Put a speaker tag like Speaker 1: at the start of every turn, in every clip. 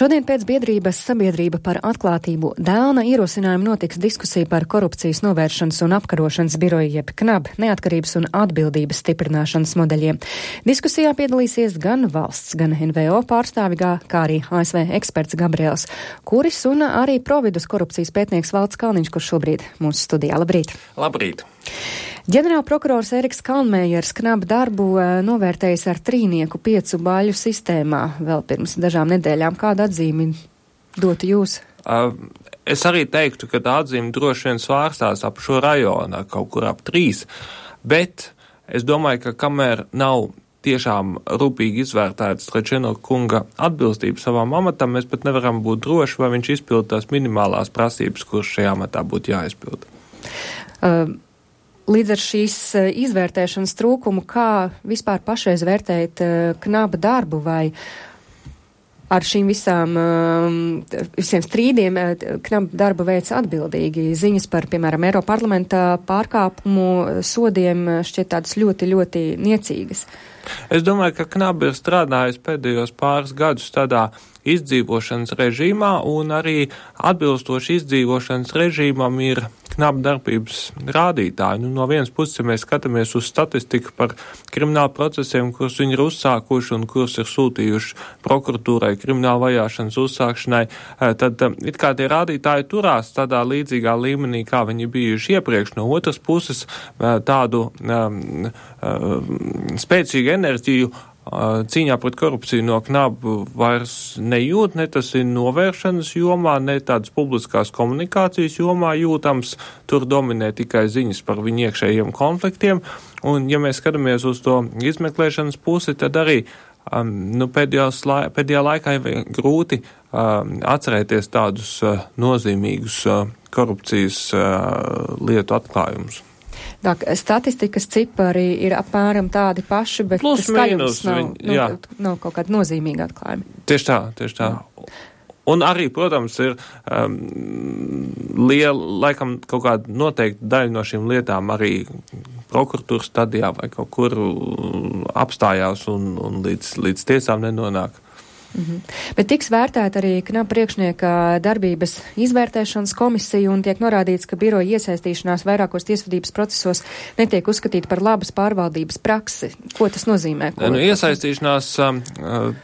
Speaker 1: Šodien pēc biedrības Sabiedrība par atklātību Dēlna ierosinājumu notiks diskusija par korupcijas novēršanas un apkarošanas biroju jeb KNAB neatkarības un atbildības stiprināšanas modeļiem. Diskusijā piedalīsies gan valsts, gan NVO pārstāvīgā, kā arī ASV eksperts Gabriels Kuris un arī Providus korupcijas pētnieks Valds Kalniņš, kurš šobrīd mūsu studijā. Labrīt!
Speaker 2: Labrīt!
Speaker 1: Ģenerālprokurors Eriks Kalnmējers KNAB darbu novērtējis ar 3 baļu sistēmā vēl pirms dažām nedēļām. Kādu atzīmi dotu jūs?
Speaker 2: Es arī teiktu, ka tā atzīme droši vien svārstās ap šo rajonu, kaut kur ap 3, bet es domāju, ka kamēr nav tiešām rūpīgi izvērtētas Trečeno kunga atbilstība savam amatam, mēs pat nevaram būt droši, vai viņš izpild tās minimālās prasības, kuras šajā amatā būtu jāizpilda.
Speaker 1: Līdz ar šīs izvērtēšanas trūkumu, kā vispār pašreiz vērtēt KNAB darbu, vai ar šīm visiem strīdiem KNAB darbu veic atbildīgi? Ziņas par, piemēram, Eiroparlamenta pārkāpumu sodiem šķiet tādas ļoti, ļoti niecīgas.
Speaker 2: Es domāju, ka KNAB ir strādājusi pēdējos pāris gadus tādā izdzīvošanas režīmā, un arī atbilstoši izdzīvošanas režīmam ir KNAB darbības rādītāji. No vienas puses, ja mēs skatāmies uz statistiku par kriminālu procesiem, kurus viņi ir uzsākuši un kurus ir sūtījuši prokuratūrai kriminālu vajāšanas uzsākšanai, tad it kā tie rādītāji turās tādā līdzīgā līmenī, kā viņi bijuši iepriekš. No otras puses, tādu spēcīgu enerģiju cīņā pret korupciju no KNAB vairs nejūt, ne tas ir novēršanas jomā, ne tādas publiskās komunikācijas jomā jūtams. Tur dominē tikai ziņas par viņu iekšējiem konfliktiem. Un, ja mēs skatāmies uz to izmeklēšanas pusi, tad arī pēdējā laikā ir grūti atcerēties tādus nozīmīgus korupcijas lietu atklājumus.
Speaker 1: Tā, statistikas cipari ir apmēram tādi paši, bet
Speaker 2: plus,
Speaker 1: skaļums nav kaut kāda nozīmīga atklājuma.
Speaker 2: Tieši tā. Un arī, protams, ir laikam kaut kāda noteikta daļa no šīm lietām arī prokuratūras stadijā vai kaut kur apstājās un līdz tiesām nenonāk.
Speaker 1: Bet tiks vērtēta arī KNAB priekšnieka darbības izvērtēšanas komisija un tiek norādīts, ka biroja iesaistīšanās vairākos tiesvedības procesos netiek uzskatīta par labas pārvaldības praksi. Ko tas nozīmē?
Speaker 2: Iesaistīšanās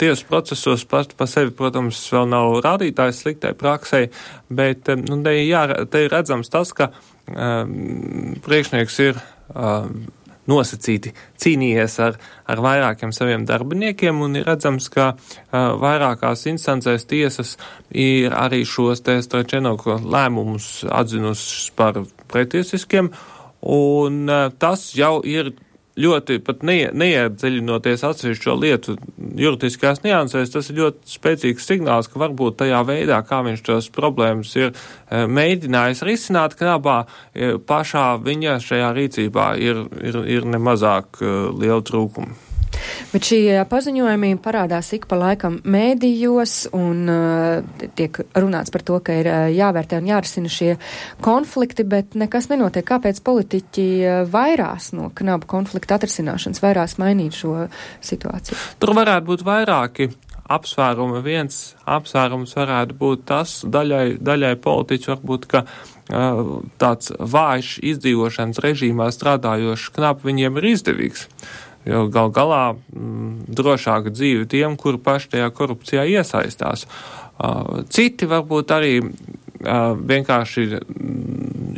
Speaker 2: tiesu procesos pa sevi, protams, vēl nav rādītājs sliktai praksei, bet te ir redzams tas, ka priekšnieks ir nosacīti cīnījies ar vairākiem saviem darbiniekiem, un ir redzams, ka vairākās instancēs tiesas ir arī šos Trečeno lēmumus atzinušas par pretiesiskiem, un tas jau ir ļoti pat neiedziļinoties atsevišķo lietu juridiskās niansēs, tas ir ļoti spēcīgs signāls, ka varbūt tajā veidā, kā viņš tos problēmas ir mēģinājis risināt KNABā, pašā viņa šajā rīcībā ir nemazāk liela trūkuma.
Speaker 1: Bet šie paziņojumi parādās ik pa laikam mēdījos un tiek runāts par to, ka ir jāvērtē un jārisina šie konflikti, bet nekas nenotiek. Kāpēc politiķi vairās no KNAB konflikta atrisināšanas, vairās mainīt šo situāciju?
Speaker 2: Tur varētu būt vairāki apsvērumi. Viens apsvērums varētu būt tas, daļai politiķi varbūt, ka tāds vājš izdzīvošanas režīmā strādājošs KNAB viņiem ir izdevīgs. Jo gal galā drošāka dzīve tiem, kuri paši tajā korupcijā iesaistās. Citi varbūt arī vienkārši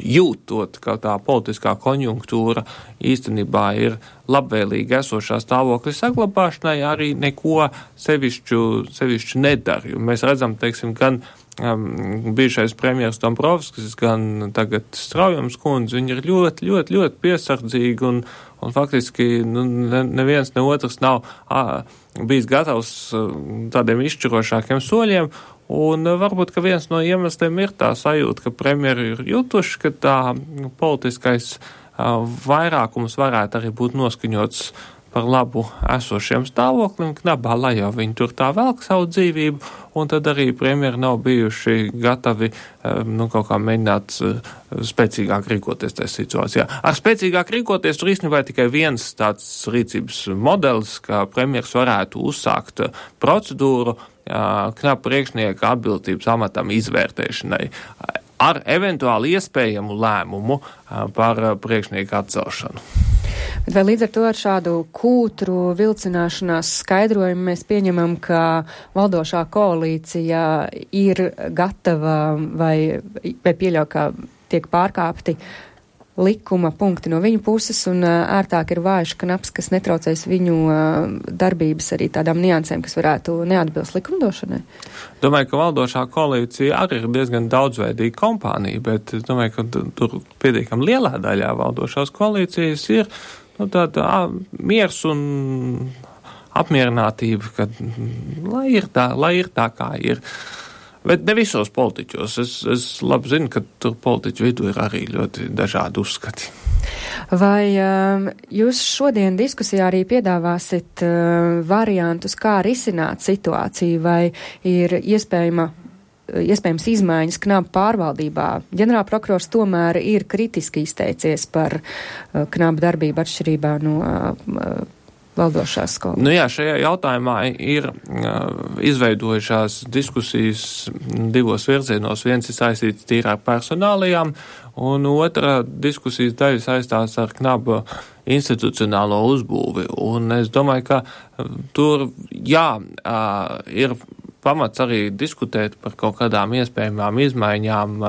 Speaker 2: jūtot, ka tā politiskā konjunktūra īstenībā ir labvēlīga esošā stāvokļa saglabāšanai, arī neko sevišķu nedara. Jo mēs redzam, teiksim, gan bijušais premjers Dombrovskis, gan tagad Straujums kundze, viņi ir ļoti, ļoti, ļoti piesardzīgi un faktiski neviens ne otrs nav bijis gatavs tādiem izšķirošākiem soļiem, un varbūt, ka viens no iemesliem ir tā sajūta, ka premjeri ir jutuši, ka tā politiskais vairākums varētu arī būt noskaņots par labu esošiem stāvoklim KNABā, lai jau viņi tur tā velk savu dzīvību, un tad arī premjeri nav bijuši gatavi kaut kā mēģināt spēcīgāk rīkoties tajā situācijā. Ar spēcīgāk rīkoties tur īstenībā tikai viens tāds rīcības modelis, ka premjeras varētu uzsākt procedūru Knaba priekšnieka atbildības amatam izvērtēšanai ar eventuāli iespējamu lēmumu par priekšnieku atcelšanu.
Speaker 1: Bet vai līdz ar to ar šādu kūtru vilcināšanās skaidrojumu mēs pieņemam, ka valdošā koalīcija ir gatava vai pieļauj, ka tiek pārkāpti likuma punkti no viņu puses un ērtāk ir Vājš Knabs, kas netraucēs viņu darbības arī tādām niansēm, kas varētu neatbilst likumdošanai?
Speaker 2: Domāju, ka valdošā koalīcija arī ir diezgan daudzveidīga kompānija, bet es domāju, ka tur pietiekami lielā daļā valdošās koalīcijas ir tāda miers un apmierinātība, ka lai ir tā, kā ir. Bet ne visos politiķos. Es labi zinu, ka tur politiķu vidū ir arī ļoti dažādi uzskati.
Speaker 1: Vai jūs šodien diskusijā arī piedāvāsit variantus, kā risināt situāciju, vai ir iespējams izmaiņas Knaba pārvaldībā? Ģenerālprokurors tomēr ir kritiski izteicies par Knaba darbību atšķirībā no valdošās skolas.
Speaker 2: Jā, šajā jautājumā ir izveidojušās diskusijas divos virzienos. Viens ir saistīts tīri ar personālijām, un otra diskusijas daļa saistās ar Knaba institucionālo uzbūvi. Un es domāju, ka tur, ir pamats arī diskutēt par kaut kādām iespējamām izmaiņām,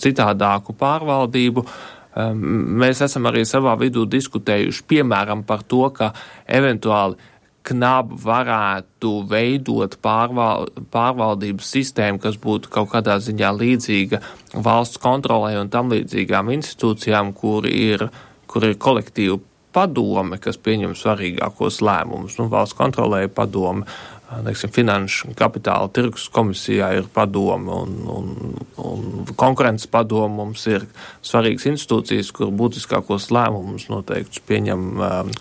Speaker 2: citādāku pārvaldību. Mēs esam arī savā vidū diskutējuši, piemēram, par to, ka eventuāli Knaba varētu veidot pārvaldības sistēmu, kas būtu kaut kādā ziņā līdzīga valsts kontrolē un tam līdzīgām institūcijām, kur ir kolektīva padome, kas pieņem svarīgākos lēmumus. Valsts kontrolē padome, finanšu kapitāla tirgus komisijā ir padome un konkurences padome. Mums ir svarīgas institūcijas, kur būtiskākos lēmumus noteikti pieņem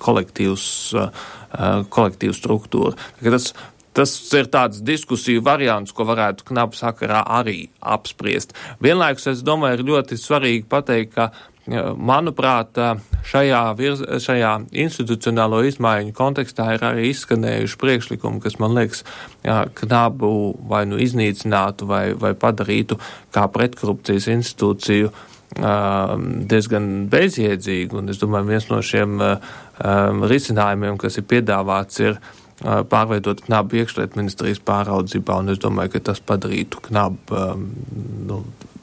Speaker 2: kolektīvu struktūru. Tas ir tāds diskusiju variants, ko varētu Knaba sakarā arī apspriest. Vienlaikus, es domāju, ir ļoti svarīgi pateikt, ka manuprāt, šajā institucionālo izmaiņu kontekstā ir arī izskanējuši priekšlikumi, kas, man liekas, Knabu vai iznīcinātu vai padarītu kā pretkorupcijas institūciju diezgan bezjēdzīgu. Un es domāju, viens no šiem risinājumiem, kas ir piedāvāts, ir pārveidot Knabu iekšlietu ministrijas pāraudzībā, un es domāju, ka tas padarītu Knabu,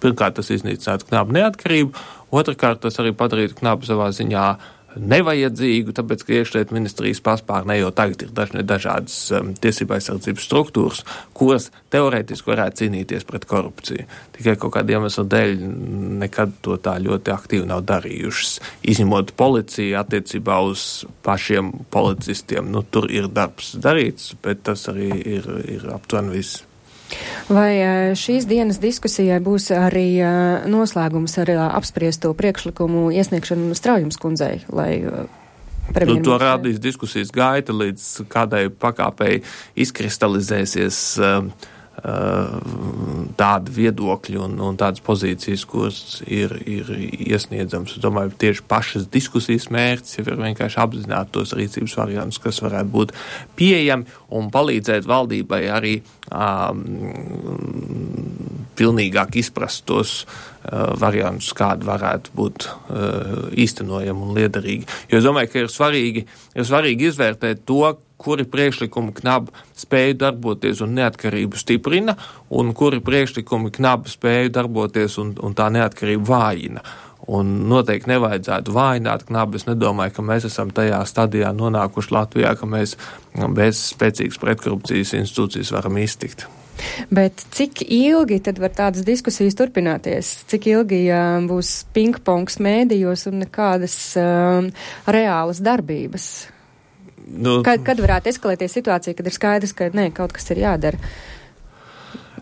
Speaker 2: pirmkārt, tas iznīcinātu Knabu neatkarību, otrkārt, tas arī padarītu Knabu savā ziņā nevajadzīgu, tāpēc, ka iekšlietu ministrijas paspārnē jau tagad ir dažādas tiesība aizsardzības struktūras, kuras teorētiski varētu cīnīties pret korupciju. Tikai kaut kāda iemesla dēļ nekad to tā ļoti aktīvi nav darījušas. Izņemot policiju attiecībā uz pašiem policistiem, tur ir darbs darīts, bet tas arī ir aptuveni viss.
Speaker 1: Vai šīs dienas diskusijai būs arī noslēgums ar apspriesto priekšlikumu iesniegšanu Straujums kundzei, lai
Speaker 2: to rādīs diskusijas gaita, līdz kādai pakāpei izkristalizēsies tādi viedokļi un tādas pozīcijas, kuras ir iesniedzams. Es domāju, tieši pašas diskusijas mērķis jau ir vienkārši apzināt tos rīcības variantus, kas varētu būt pieejami un palīdzēt valdībai arī pilnīgāk izprast tos variantus, kādi varētu būt īstenojami un liederīgi. Jo es domāju, ka ir svarīgi izvērtēt to, kuri priekšlikumi Knaba spēju darboties un neatkarību stiprina, un kuri priekšlikumi Knaba spēju darboties un tā neatkarību vājina. Un noteikti nevajadzētu vājināt Knabu. Es nedomāju, ka mēs esam tajā stadijā nonākuši Latvijā, ka mēs bez spēcīgas pretkorupcijas institūcijas varam iztikt.
Speaker 1: Bet cik ilgi tad var tādas diskusijas turpināties? Cik ilgi būs pingpongs mēdījos un nekādas reālas darbības? Kad varētu eskalēties situācija, kad ir skaidrs, ka kaut kas ir jādara?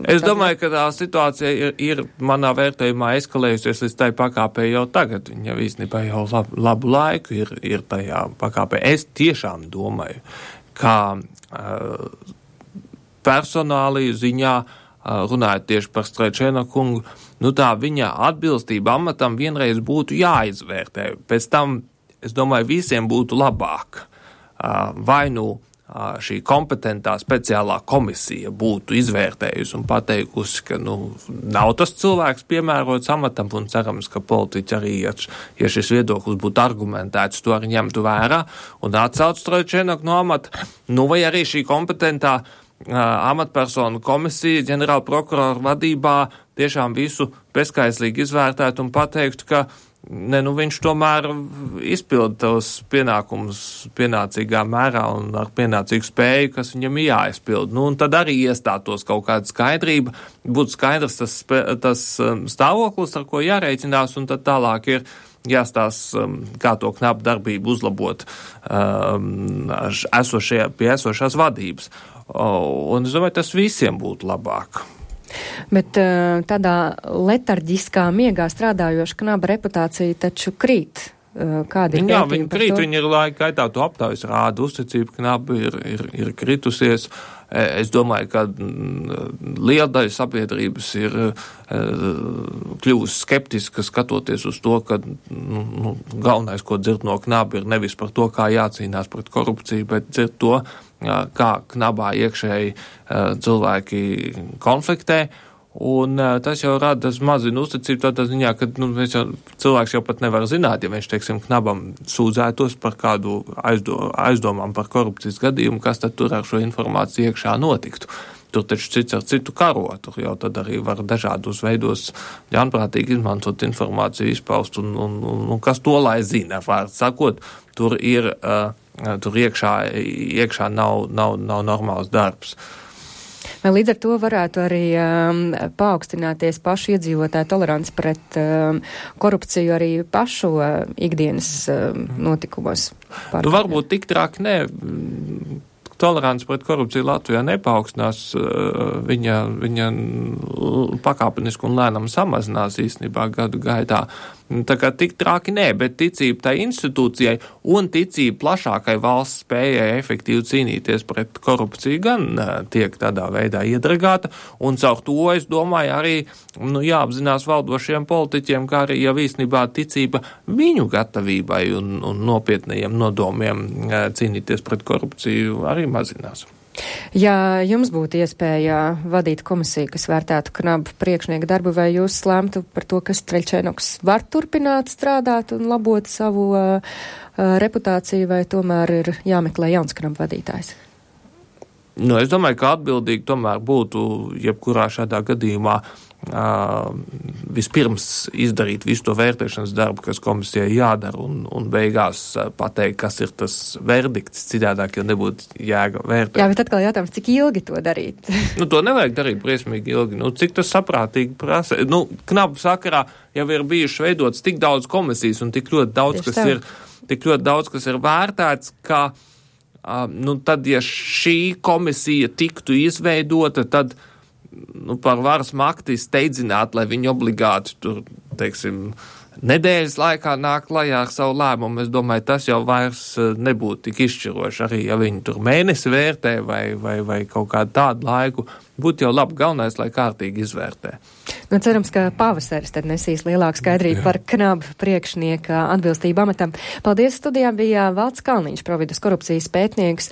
Speaker 2: Es domāju, ka tā situācija ir manā vērtējumā eskalējusies līdz tai pakāpē jau tagad. Viņa īstenībā jau labu laiku ir tajā pakāpē. Es tiešām domāju, ka personālī ziņā, runājot tieši par Strečēna kungu, tā viņa atbilstība amatam vienreiz būtu jāizvērtē. Pēc tam, es domāju, visiem būtu labāk. Vai šī kompetentā speciālā komisija būtu izvērtējusi un pateikusi, ka nav tas cilvēks piemērots amatam, un cerams, ka politiķi arī, ja šis viedoklis būtu argumentēts, to arī ņemtu vērā un atcauc Trojčenoku no amata, vai arī šī kompetentā amatpersonu komisija ģenerāla prokurora vadībā tiešām visu bezskaislīgi izvērtētu un pateiktu, ka viņš tomēr izpilda tos pienākumus pienācīgā mērā un ar pienācīgu spēju, kas viņam jāizpild. Un tad arī iestātos kaut kāda skaidrība, būtu skaidrs tas stāvoklis, ar ko jārēķinās, un tad tālāk ir jāstās, kā to knapu darbību uzlabot pie esošās vadības. Un es domāju, tas visiem būtu labāk.
Speaker 1: Bet tādā letarģiskā miegā strādājoša knaba reputācija taču krīt. Kādi ir
Speaker 2: Jā, viņi krīt, viņi ir laika gaitā to aptaujas rāda, uzticība knabi ir kritusies. Es domāju, ka liela daļa sabiedrības ir kļuvusi skeptiska skatoties uz to, ka galvenais, ko dzird no knaba, ir nevis par to, kā jācīnās pret korupciju, bet dzird to, kā knabā iekšēji cilvēki konfliktē. Un tas jau rada mazinu uzticību tādā ziņā, ka cilvēks jau pat nevar zināt, ja viņš, teiksim, knabam sūdzētos par kādu aizdomām par korupcijas gadījumu, kas tad tur ar šo informāciju iekšā notiktu. Tur taču cits ar citu karo, tur jau tad arī var dažādos veidos ļaunprātīgi izmantot informāciju, izpaust, un kas to lai zina, vārds sakot, tur iekšā nav normāls darbs.
Speaker 1: Vai līdz ar to varētu arī paaugstināties pašu iedzīvotāju toleranci pret korupciju arī pašu ikdienas notikumos?
Speaker 2: Varbūt tik traki nē. Tolerants pret korupciju Latvijā nepaukstinās, viņa pakāpeniski un lēnām samazinās īstenībā gadu gaitā. Tā kā tik traki nē, bet ticība tai institūcijai un ticība plašākai valsts spējai efektīvi cīnīties pret korupciju gan tiek tādā veidā iedragāta, un caur to, es domāju, arī jāapzinās valdošiem politiķiem, kā arī jau īstenībā ticība viņu gatavībai un nopietnajiem nodomiem cīnīties pret korupciju arī mazinās.
Speaker 1: Ja jums būtu iespēja vadīt komisiju, kas vērtētu knabu priekšnieku darbu, vai jūs lēmtu par to, ka Trojčenoks var turpināt strādāt un labot savu reputāciju, vai tomēr ir jāmeklē jauns knabu vadītājs?
Speaker 2: Es domāju, ka atbildīgi tomēr būtu jebkurā šādā gadījumā vispirms izdarīt visu to vērtēšanas darbu, kas komisijai jādara, un beigās pateikt, kas ir tas verdikts, citādāk jau nebūtu jēga vērtēt.
Speaker 1: Jā, bet atkal jautājums, cik ilgi to darīt?
Speaker 2: To nevajag darīt briesmīgi ilgi. Cik tas saprātīgi prasa? Knabu sakarā jau ir bijuši veidots tik daudz komisijas un tik ļoti daudz, kas ir vērtēts, ka tad, ja šī komisija tiktu izveidota, tad par varas makti steidzināt, lai viņi obligāti tur, teiksim, nedēļas laikā nāk klajā ar savu lēmumu. Es domāju, tas jau vairs nebūtu tik izšķiroši, arī ja viņi tur mēnesi vērtē vai kaut kādu tādu laiku. Būtu jau labi, galvenais, lai kārtīgi izvērtē.
Speaker 1: Cerams, ka pavasaris tad nesīs lielāku skaidrību par knabu priekšnieka atbilstību amatam. Paldies, studijā bija Valds Kalniņš, Providas korupcijas pētnieks,